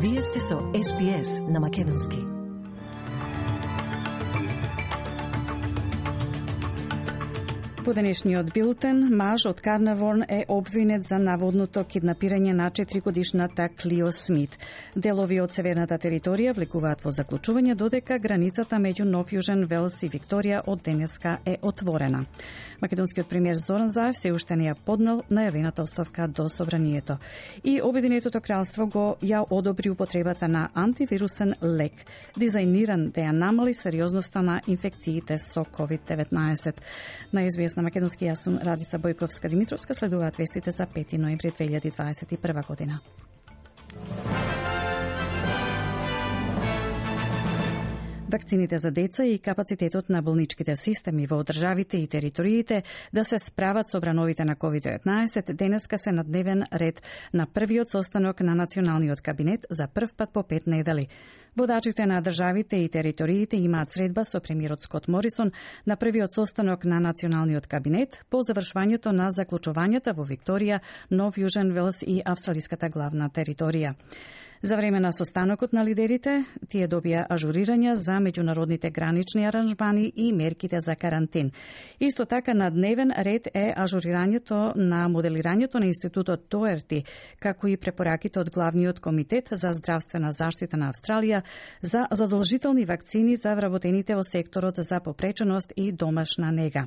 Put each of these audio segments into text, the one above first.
Вие сте со SPS на Македонски. По денешниот билтен, маж од Карнаворн е обвинет за наводното киднапирање на 4-годишната Клио Смит. Делови од северната територија влекуваат во заклучување додека границата меѓу Нов Јужен Велс и Викторија од денеска е отворена. Македонскиот премиер Зоран Заев се уште не ја поднел најавената оставка до собранието. И Обединетото кралство го ја одобри употребата на антивирусен лек, дизајниран да ја намали сериозноста на инфекциите со COVID-19. На СБС на Македонски јас сум Радица Бојковска-Димитровска, следуваат вестите за 5 ноември 2021 година. Вакцините за деца и капацитетот на болничките системи во државите и териториите да се справат со брановите на COVID-19 денеска се на дневен ред на првиот состанок на Националниот кабинет за прв пат по 5 недели. Водачите на државите и териториите имаат средба со премиерот Скот Морисон на првиот состанок на Националниот кабинет по завршувањето на заклучувањата во Викторија, Нов Јужен Велс и австралиската главна територија. За време на состанокот на лидерите, тие добија ажурирања за меѓународните гранични аранжмани и мерките за карантин. Исто така на дневен ред е ажурирањето на моделирањето на Институтот Доерти, како и препораките од Главниот комитет за здравствена заштита на Австралија за задолжителни вакцини за вработените во секторот за попреченост и домашна нега.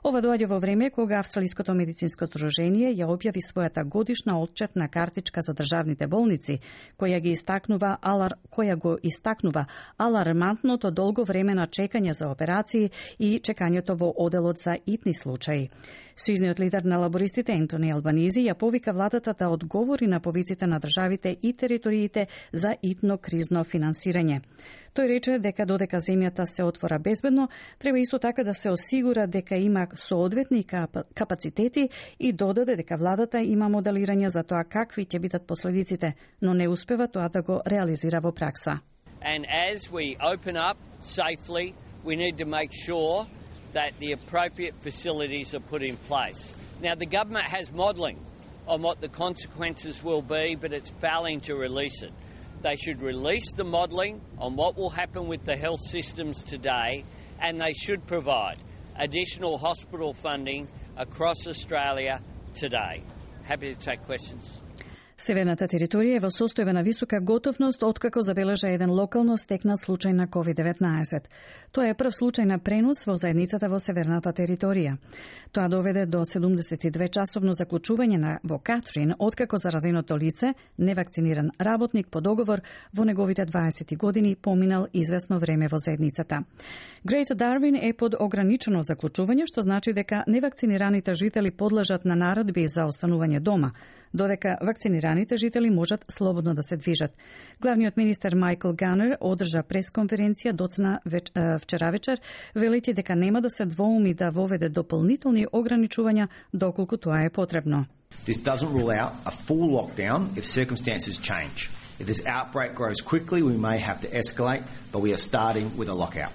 Ова доаѓа во време кога Австралиското медицинско здружение ја објави својата годишна отчетна картичка за државните болници, која го истакнува алармантното долго време на чекање за операции и чекањето во оделот за итни случаи. Сојузниот лидер на лабористите Ентони Албанизи ја повика владата да одговори на повиците на државите и териториите за итно кризно финансирање. Тој рече дека додека земјата се отвора безбедно, треба исто така да се осигура дека има соодветни капацитети и додаде дека владата има моделирање за тоа какви ќе бидат последиците, но не успева тоа да го реализира во пракса. And as we open up safely, we need to make sure that the appropriate facilities are put in place. Now, the government has modelling on what the consequences will be, but it's failing to release it. They should release the modelling on what will happen with the health systems today, and they should provide additional hospital funding across Australia today. Happy to take questions. Северната територија е во состојба на висока готовност откако забележа еден локално стекнат случај на COVID-19. Тоа е прв случај на пренос во заедницата во северната територија. Тоа доведе до 72-часовно заклучување во Катрин, откако заразеното лице, невакциниран работник по договор во неговите 20 години, поминал известно време во заедницата. Грејт Дарвин е под ограничено заклучување, што значи дека невакцинираните жители подлежат на наредби за останување дома, додека вакцинираните жители можат слободно да се движат. Главниот министер Майкл Ганер одржа пресконференција доцна вчера вечер, велејќи дека нема да се двоуми да воведе дополнителни ограничувања доколку тоа е потребно. This doesn't rule out a full lockdown if circumstances change. If this outbreak grows quickly, we may have to escalate, but we are starting with a lockout.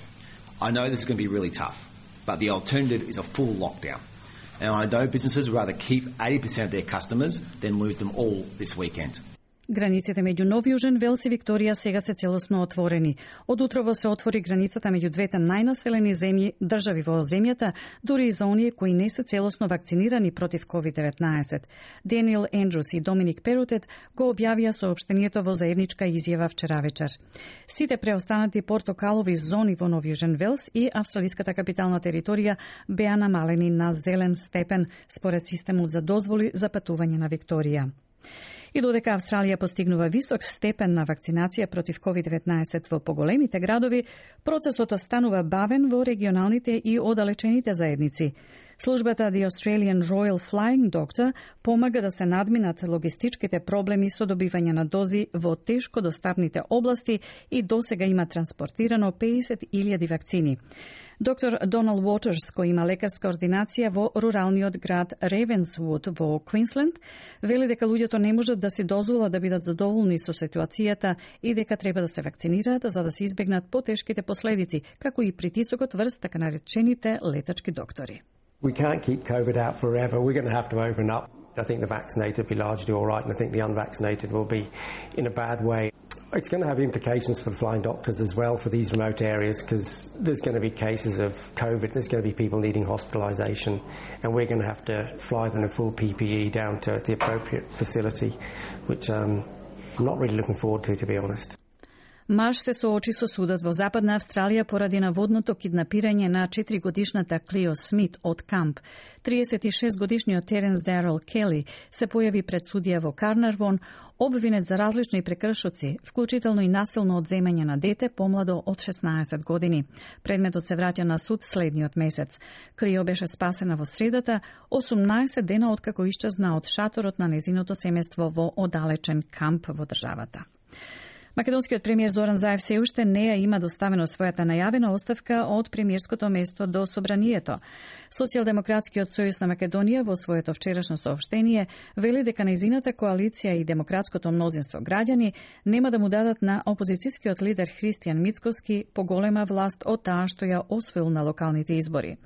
I know this is going to be really tough, but the alternative is a full lockdown. And I know businesses would rather keep 80% of their customers than lose them all this weekend. Границите меѓу Нов Јужен Велс и Викторија сега се целосно отворени. Од утрово се отвори границата меѓу двете најнаселени држави во земјата, дури и за оние кои не се целосно вакцинирани против COVID-19. Даниел Ендрус и Доминик Перутет го објавија соопштението во заедничка изјава вчера вечер. Сите преостанати портокалови зони во Нов Јужен Велс и австралиската капитална територија беа намалени на зелен степен според системот за дозволи за патување на Викторија. И додека Австралија постигнува висок степен на вакцинација против COVID-19 во поголемите градови, процесот останува бавен во регионалните и оддалечените заедници. Службата The Australian Royal Flying Doctor помага да се надминат логистичките проблеми со добивање на дози во тешко достапните области и досега има транспортирано 50.000 вакцини. Доктор Донал Уотерс, кој има лекарска ординација во руралниот град Ревенсвуд во Квинсленд, вели дека луѓето не можат да си дозволат да бидат задоволни со ситуацијата и дека треба да се вакцинираат за да се избегнат потешките последици, како и притисокот врз така наречените летачки доктори. We can't keep COVID out forever. We're going to have to open up. I think the vaccinated will be largely all right, and I think the unvaccinated will be in a bad way. It's going to have implications for flying doctors as well for these remote areas, because there's going to be cases of COVID, there's going to be people needing hospitalisation, and we're going to have to fly them in full PPE down to the appropriate facility, which I'm not really looking forward to be honest. Маж се соочи со судот во Западна Австралија поради наводното киднапирање на 4-годишната Клио Смит од камп. 36-годишниот Теренс Дарел Кели се појави пред судија во Карнарвон, обвинет за различни прекршоци, вклучително и насилно одземање на дете помладо од 16 години. Предметот се враќа на суд следниот месец. Клио беше спасена во средата, 18 дена откако исчезна од шаторот на незиното семејство во оддалечен камп во државата. Македонскиот премиер Зоран Заев се уште не ја има доставено својата најавена оставка од премиерското место до Собранието. Социјалдемократскиот сојуз на Македонија во своето вчерашно соопштение вели дека нејзината коалиција и демократското мнозинство граѓани нема да му дадат на опозицијскиот лидер Христијан Мицкоски поголема власт од таа што ја освоил на локалните избори.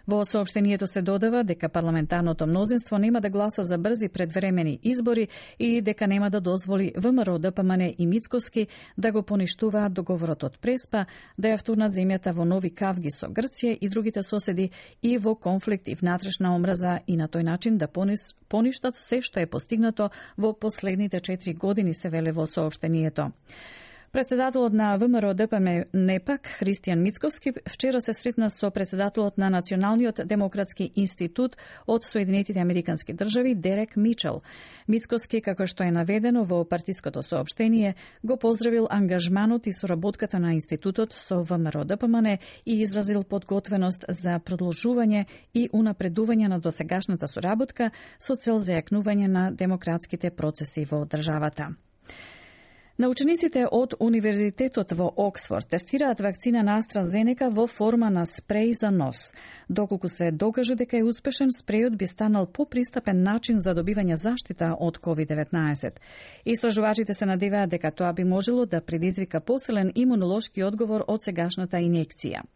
Во соопштението се додава дека парламентарното мнозинство нема да гласа за брзи предвремени избори и дека нема да дозволи ВМРО, ДПМН и Мицкоски да го поништуваат договорот од Преспа, да ја втурнат земјата во нови кавги со Грција и другите соседи и во конфликт и внатрешна омраза и на тој начин да поништат се што е постигнато во последните 4 години, се веле во соопштението. Председателот на ВМРО ДПМН НЕПАК, Христијан Мицковски, вчера се сретна со председателот на Националниот демократски институт од Соединетите Американски држави, Дерек Мичел. Мицковски, како што е наведено во партиското соопштение, го поздравил ангажманот и соработката на институтот со ВМРО ДПМН и изразил подготвеност за продолжување и унапредување на досегашната соработка со цел зајакнување на демократските процеси во државата. Научениците од Универзитетот во Оксфорд тестираат вакцина на AstraZeneca во форма на спреј за нос. Доколку се докаже дека е успешен, спрејот би станал попристапен начин за добивање заштита од COVID-19. Истражувачите се надеваат дека тоа би можело да предизвика посилен имунолошки одговор од сегашната инекција.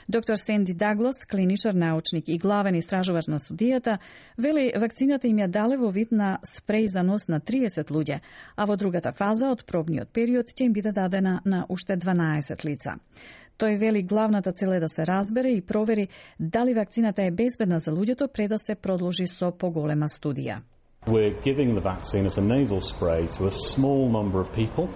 Доктор Сенди Даглас, клиничар научник и главен истражувач на студијата, вели вакцината им ја дале во вид на спреј за нос на 30 луѓе, а во другата фаза од пробниот период ќе им биде дадена на уште 12 лица. Тој вели главната цел е да се разбере и провери дали вакцината е безбедна за луѓето пред да се продолжи со поголема студија. We're giving the vaccine as a nasal spray to a small number of people.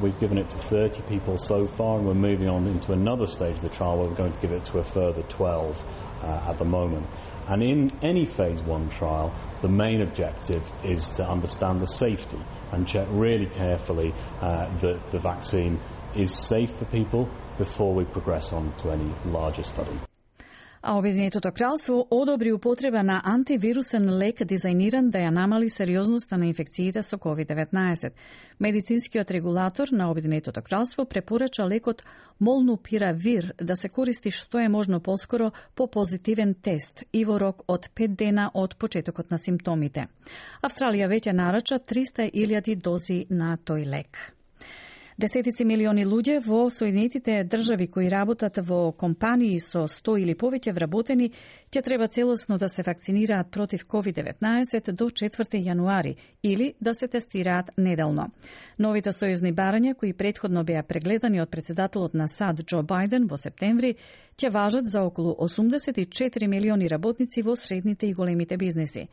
We've given it to 30 people so far, and we're moving on into another stage of the trial where we're going to give it to a further 12 at the moment. And in any phase 1 trial, the main objective is to understand the safety and check really carefully that the vaccine is safe for people before we progress on to any larger study. А Обединетото кралство одобри употреба на антивирусен лек дизајниран да ја намали сериозноста на инфекциите со COVID-19. Медицинскиот регулатор на Обединетото кралство препорача лекот Молнупиравир да се користи што е можно поскоро по позитивен тест и во рок од 5 дена од почетокот на симптомите. Австралија веќе нарача 300.000 дози на тој лек. Десетици милиони луѓе во Соединетите држави кои работат во компании со 100 или повеќе вработени ќе треба целосно да се вакцинираат против COVID-19 до 4 јануари или да се тестираат неделно. Новите сојузни барања кои претходно беа прегледани од председателот на САД Џо Бајден во септември ќе важат за околу 84 милиони работници во средните и големите бизнеси.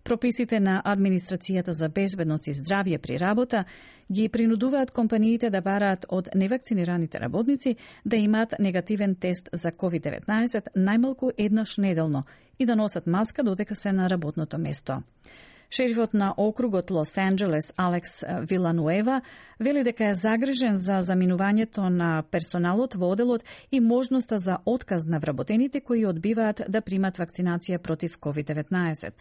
Прописите на Администрацијата за безбедност и здравје при работа ги принудуваат компаниите да бараат од невакцинираните работници да имаат негативен тест за COVID-19 најмалку еднаш неделно и да носат маска додека се на работното место. Шерифот на округот Лос Анџелес Алекс Вилануева вели дека е загрижен за заминувањето на персоналот во оделот и можноста за отказ на вработените кои одбиваат да примат вакцинација против COVID-19.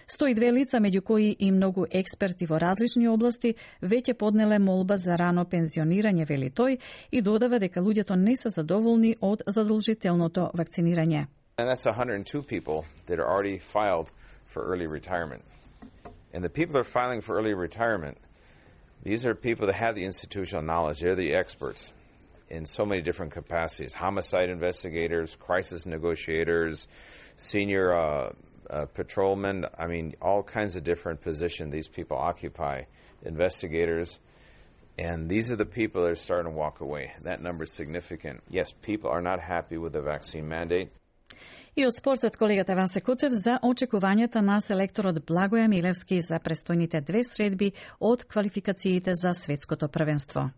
102 лица, меѓу кои и многу експерти во различни области, веќе поднеле молба за рано пензионирање, вели тој, и додава дека луѓето не се задоволни од задолжителното вакцинирање. And that's 102 people that are already filed for early retirement. And the people that are filing for early retirement, these are people that have the institutional knowledge. They're the experts in so many different capacities. Homicide investigators, crisis negotiators, senior patrolmen. I mean, all kinds of different positions these people occupy. Investigators. And these are the people that are starting to walk away. That number is significant. Yes, people are not happy with the vaccine mandate. И од спортот колегата Васе Куцев за очекувањата на селекторот Благоја Милевски за престојните 2 средби од квалификациите за светското првенство.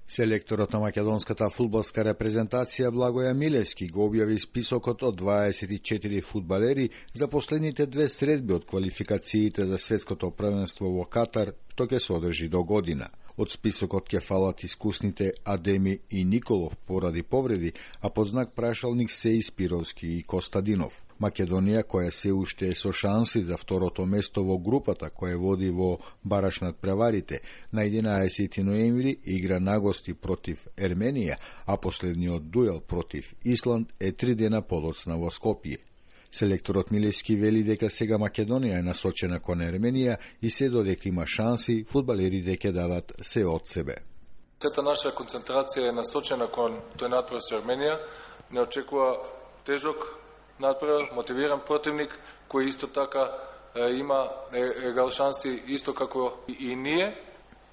Селекторот на македонската фудбалска репрезентација Благоја Милевски го објави списокот од 24 фудбалери за последните 2 средби од квалификациите за светското првенство во Катар, што ќе се одржи до година. Од списокот ќе фалат искусните Адеми и Николов поради повреди, а под знак прашалник се и Спировски и Костадинов. Македонија, која се уште е со шанси за второто место во групата која води во бараш над преварите, на 11 ноември игра нагости против Ерменија, а последниот дуел против Исланд е 3 дена подоцна во Скопје. Селекторот Милевски вели дека сега Македонија е насочена кон Ерменија и се додека има шанси, фудбалерите ќе дадат се од себе. Сета наша концентрација е насочена кон тој натпрев со Ерменија. Не очекува тежок натпрев, мотивиран противник, кој исто така има егал шанси, исто како и ние.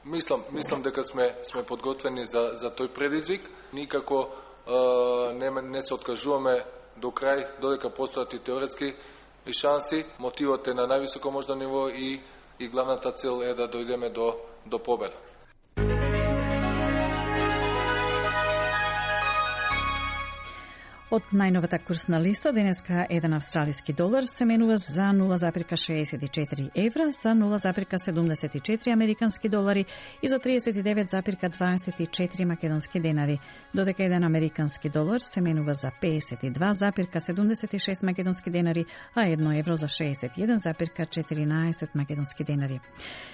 Мислам дека сме подготвени за тој предизвик. Никако не се откажуваме до крај, додека постојат и теоретски шанси. Мотивот е на највисоко можно ниво и главната цел е да дојдеме до победа. Од најновата курсна листа, денеска еден австралиски долар се менува за 0,64 евра, за 0,74 американски долари и за 39,24 македонски денари, додека еден американски долар се менува за 52,76 македонски денари, а 1 евро за 61,14 македонски денари.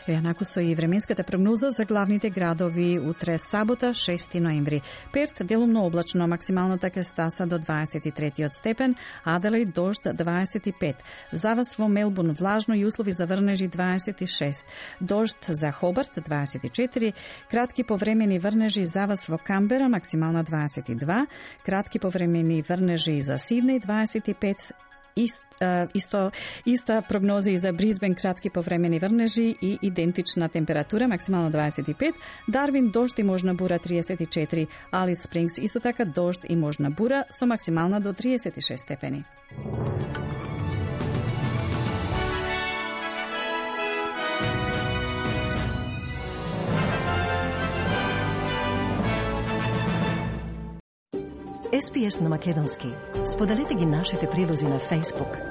Еднакво со и временската прогноза за главните градови утре сабота, 6 ноември. Перт делумно облачно, максималната ќе стаса до 23 степен, Аделаид дожд 25. За вас во Мелбурн влажно и услови за врнежи 26. Дожд за Хобарт 24. Кратки повремени врнежи за вас во Камбера максимална 22. Кратки повремени врнежи за Сиднеј 25. Иста прогноза и за Брисбен, кратки повремени врнежи и идентична температура, максимално 25. Дарвин дожд и можна бура 34. Алис Спрингс исто така дожд и можна бура со максимална до 36 степени. SPS на македонски. Споделете ги нашите прилози на Facebook,